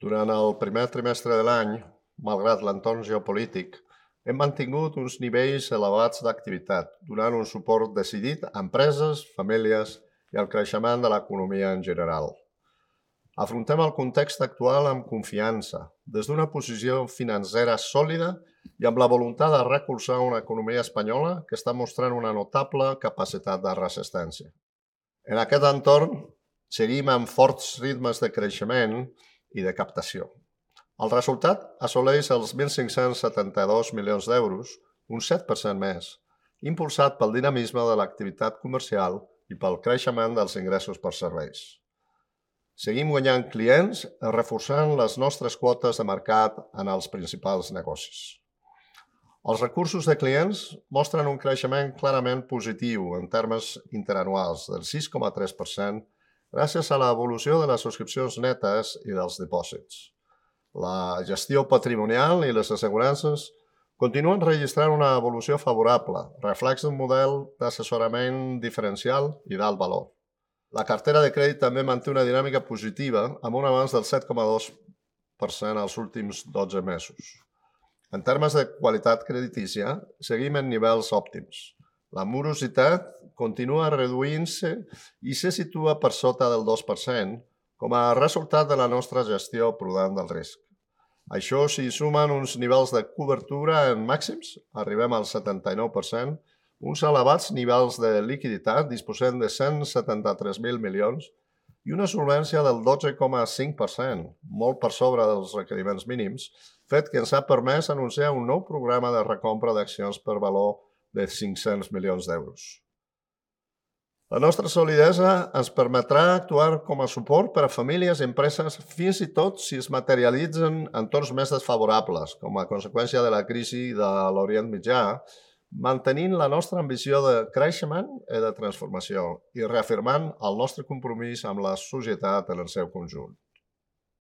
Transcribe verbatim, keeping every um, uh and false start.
Durant el primer trimestre de l'any, malgrat l'entorn geopolític, hem mantingut uns nivells elevats d'activitat, donant un suport decidit a empreses, famílies i al creixement de l'economia en general. Afrontem el context actual amb confiança, des d'una posició financera sòlida i amb la voluntat de recolzar una economia espanyola que està mostrant una notable capacitat de resistència. En aquest entorn, seguim amb forts ritmes de creixement i de captació. El resultat assoleix els mil cinc-cents setanta-dos milions d'euros, un set per cent més, impulsat pel dinamisme de l'activitat comercial i pel creixement dels ingressos per serveis. Seguim guanyant clients i reforçant les nostres quotes de mercat en els principals negocis. Els recursos de clients mostren un creixement clarament positiu en termes interanuals del sis coma tres per cent gràcies a l'evolució de les subscripcions netes i dels dipòsits. La gestió patrimonial i les assegurances continuen registrant una evolució favorable, reflex d'un model d'assessorament diferencial i d'alt valor. La cartera de crèdit també manté una dinàmica positiva amb un avanç del set coma dos per cent als últims dotze mesos. En termes de qualitat creditícia, seguim en nivells òptims. La morositat continua reduint-se i se situa per sota del dos per cent com a resultat de la nostra gestió prudent del risc. Això s'hi sumen uns nivells de cobertura en màxims, arribem al setanta-nou per cent, uns elevats nivells de liquiditat, disposem de cent setanta-tres mil milions, i una solvència del dotze coma cinc per cent, molt per sobre dels requeriments mínims, fet que ens ha permès anunciar un nou programa de recompra d'accions per valor de cinc-cents milions d'euros. La nostra solidesa ens permetrà actuar com a suport per a famílies i empreses fins i tot si es materialitzen entorns més desfavorables, com a conseqüència de la crisi de l'Orient Mitjà, mantenint la nostra ambició de creixement i de transformació i reafirmant el nostre compromís amb la societat en el seu conjunt.